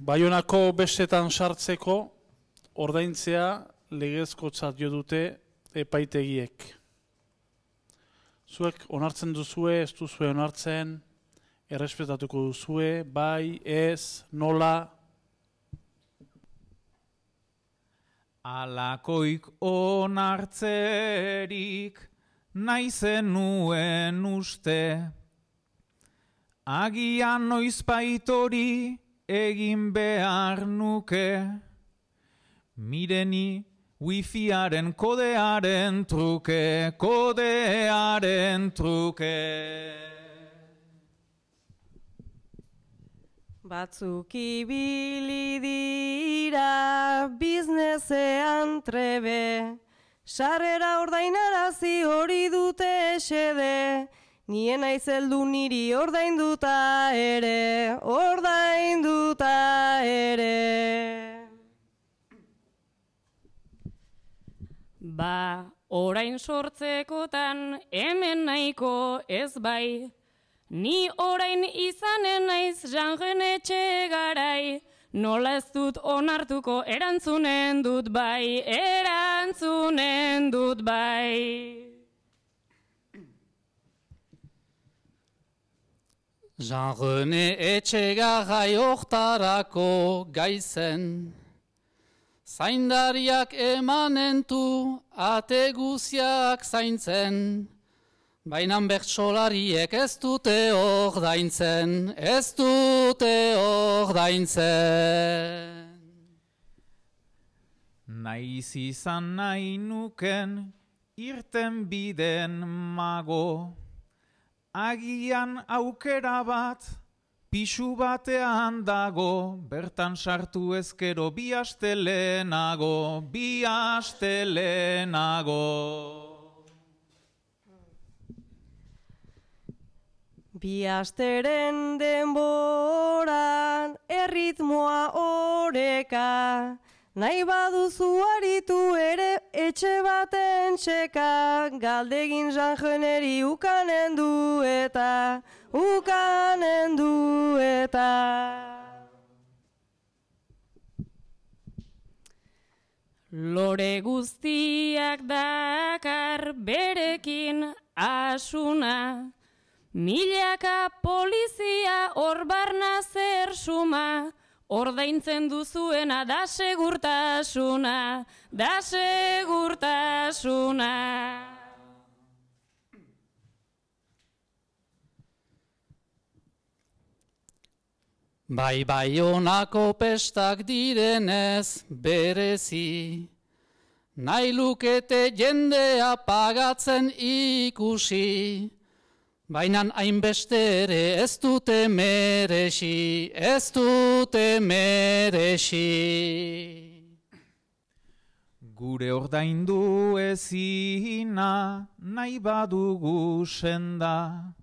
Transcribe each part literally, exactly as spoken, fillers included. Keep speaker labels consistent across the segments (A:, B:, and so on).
A: Baionako bestetan sartzeko ordaintzea legezkotzat jo dute epaitegiek. Zuek onartzen duzue, ez duzue onartzen, errespetatuko duzue, bai, ez, nola?
B: Alakoik onartzerik nahi zenuen uste, agian noizbaitori egin behar nuke, mireni wifiaren kodearen truke, kodearen truke.
C: Batzuk ibili dira biznezean trebe, sarrera ordainarazi hori dute xede, nien aizeldu niri ordainduta ere, ordainduta ere.
D: Ba, orain sortzekotan hemen nahiko ez bai, ni orain izanen naiz Jean Etxegarai, nola ez dut onartuko erantzunen dut bai, erantzunen dut bai.
E: Jean Etxegarai hortarako gaizen, zaindariak emanentu ate guziak zaintzen, bainan bertsolariek ez dute ordaintzen, ez dute ordaintzen.
B: Naiz izan nahi nuken irten biden mago, agian aukera bat pisu batean dago, bertan sartu ezkero bi aste lehenago, bi aste lehenago.
C: Bi asteren denboran erritmoa oreka, nahi baduzu aritu ere etxe baten txeka, galdegin Jean-Generi ukanen du eta, ukanen du eta.
D: Lore guztiak dakar berekin asuna, milaka polizia hor barna zer suma, ordaintzen duzuena da segurtasuna, da segurtasuna.
E: Bai Baionako pestak direnez berezi, nahi lukete jendea pagatzen ikusi, bainan hainbeste ere ez dute merexi, ez dute merexi.
B: Gure ordaindu ezina nahi badugu senda,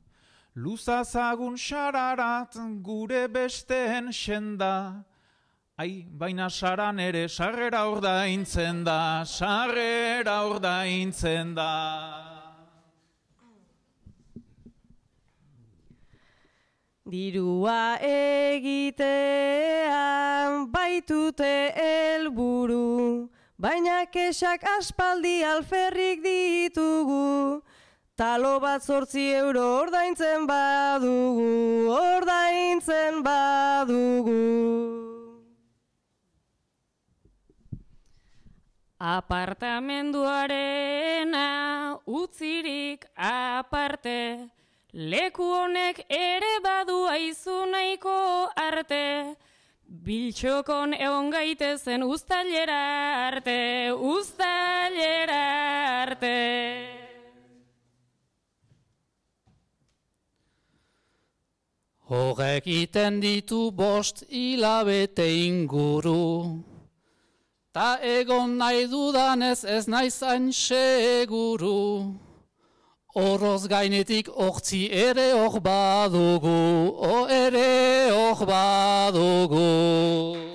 B: luzazagun xararat gure besteen senda, ai, baina saran ere sarrera ordaintzen da, sarrera ordaintzen da.
C: Dirua egitean baitute helburu, baina kesak aspaldi alferrik ditugu, talo bat zortzi euro ordaintzen badugu, ordaintzen badugu.
D: Apartamenduarena utzirik aparte, leku honek ere badu aizu nahiko arte, biltxokon egon gaitezen uztailera arte, uztailera arte.
E: Horrek iten ditu bost hilabete inguru, ta egon nahi dudanez ez naizain seguru, oroz gainetik ortzi ere hor badugu, o ere hor badugu.